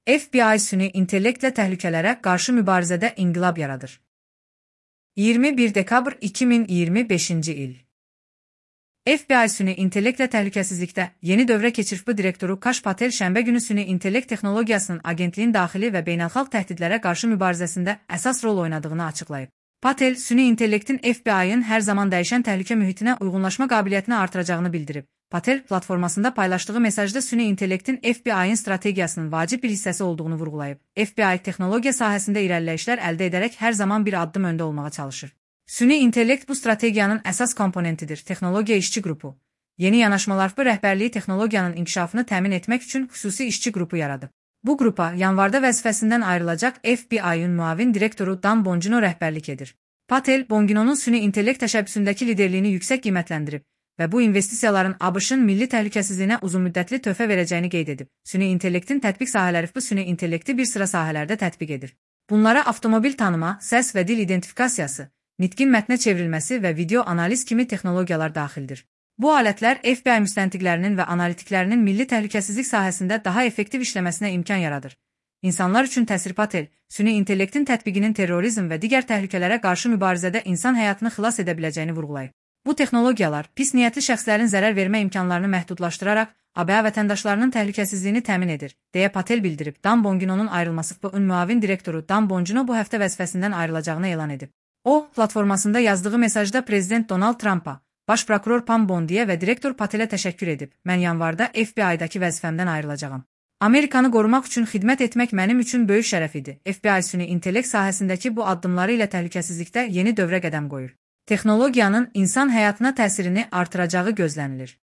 FBI süni intellektlə təhlükələrə qarşı mübarizədə inqilab yaradır. 21 dekabr 2025-ci il. FBI süni intellektlə təhlükəsizlikdə yeni dövrə keçirib direktoru Kash Patel şənbə günü süni intellekt texnologiyasının agentliyin daxili və beynəlxalq təhdidlərə qarşı mübarizəsində əsas rol oynadığını açıqlayıb. Patel, süni intellektin FBI-ın hər zaman dəyişən təhlükə mühitinə uyğunlaşma qabiliyyətini artıracağını bildirib. Patel, platformasında paylaşdığı mesajda süni intellektin FBI-ın strategiyasının vacib bir hissəsi olduğunu vurğulayıb. FBI texnologiya sahəsində irəliləyişlər əldə edərək hər zaman bir addım öndə olmağa çalışır. Süni intellekt bu strategiyanın əsas komponentidir. Texnologiya işçi qrupu yeni yanaşmalarla rəhbərliyi texnologiyanın inkişafını təmin etmək üçün xüsusi işçi qrupu yaradıb. Bu qrupa yanvarda vəzifəsindən ayrılacaq FBI-ın müavin direktoru Dan Bongino rəhbərlik edir. Patel, Bonginonun süni intellekt təşəbbüsündəki liderliyini yüksək qiymətləndirib və bu investisiyaların ABŞ-ın milli təhlükəsizliyinə uzunmüddətli töhfə verəcəyini qeyd edib. Süni intellektin tətbiq sahələri bu süni intellekti bir sıra sahələrdə tətbiq edir. Bunlara avtomobil tanıma, səs və dil identifikasiyası, nitqin mətnə çevrilməsi və video analiz kimi texnologiyalar daxildir. Bu alətlər FBI müstəntiqlərinin və analitiklərinin milli təhlükəsizlik sahəsində daha effektiv işləməsinə imkan yaradır. İnsanlar üçün təsir. Patel, süni intellektin tətbiqinin terrorizm və digər təhlükələrə qarşı mübarizədə insan həyatını xilas edə biləcəyini vurğulayıb. Bu texnologiyalar pis niyyətli şəxslərin zərər vermə imkanlarını məhdudlaşdıraraq ABŞ vətəndaşlarının təhlükəsizliyini təmin edir, deyə Patel bildirib. Dan Bonginonun ayrılması FBI-ın müavin direktoru Dan Bongino bu həftə vəzifəsindən ayrılacağını elan edib. O, platformasında yazdığı mesajda Prezident Donald Trumpa, Baş prokuror Pam Bondiyə və direktor Patelə təşəkkür edib. Mən yanvarda FBI-dakı vəzifəmdən ayrılacağam. Amerikanı qorumaq üçün xidmət etmək mənim üçün böyük şərəf idi. FBI süni intellekt sahəsindəki bu addımları ilə təhlükəsizlikdə yeni dövrə qədəm qoyur. Texnologiyanın insan həyatına təsirini artıracağı gözlənilir.